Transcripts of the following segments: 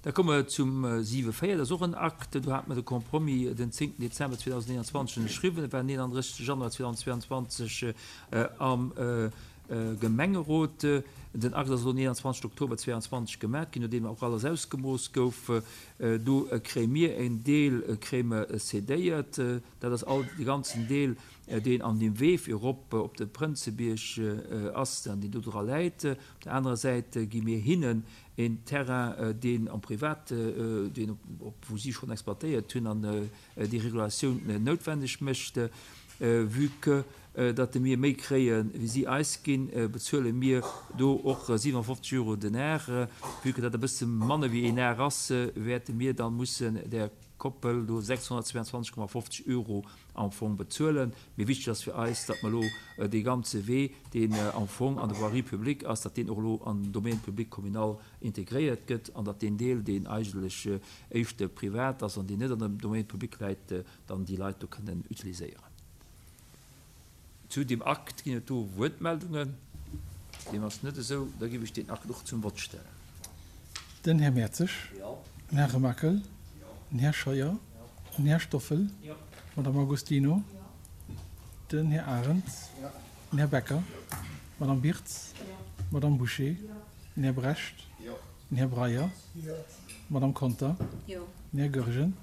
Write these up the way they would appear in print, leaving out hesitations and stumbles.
Da komme mer zum 7,4. Dat ass och en Akt, do hate mer de Compromis den 10. Dezember 2021 ënnerschriwwen. Et war den 31. Januar 2022 am Gemengerot. Den Akt ass elo den 21. Oktober 2022 gemat ginn, nodeem och alles ausgemooss gouf. Do kréie mir en Deel kréie mer cédéiert. Dat ass all de ganzen Deel, deen an deem Wee fir erop op de Prënzebierg ass an deen do dra läit. Op der anerer Säit gi mir hinnen een Terrain, deen am Privat, deen op, wou si schonn exploitéiert hunn an déi Regulatioun noutwendeg mécht. Vue que datt mir méi kréie wéi si eis ginn, bezuele mir do och 57 Euro den Ar. Vue que dat e bësse manner wéi een Ar ass, wäerte mir da mussen där Koppel do 622,50 Euro am Fong bezuelen. Mee wichteg ass fir eis, datt mer elo dee ganze Wee, deen am Fong an der Voirie publique ass, datt deen och elo an den Domaine public communal integréiert gëtt an datt deen Deel, deen eigentlech éischter privat ass an deen net an dem Domaine public läit, dann déi Leit do kënnen utiliséieren. Zu deem Akt ginn et do Wuertmeldungen. Deem ass net esou. Da géif ech deen Akt och zum Vott stellen. Den Här Mertzig. Den Här Remakel. Den Här Scheuer. Den Här Stoffel. D'Madame Agostino. Den Här Arendt. Den Här Becker. D'Madame Birtz. D'Madame Bouché. Den Här Brecht. Den Här Breyer. D'Madame Conter. Den Här Goergen.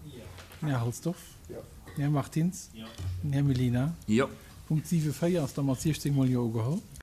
Den Här Halsdorf. Den Här Martins. Den Här Mellina. Punkt 7, 4 ass da mat 16 mol Jo ugeholl.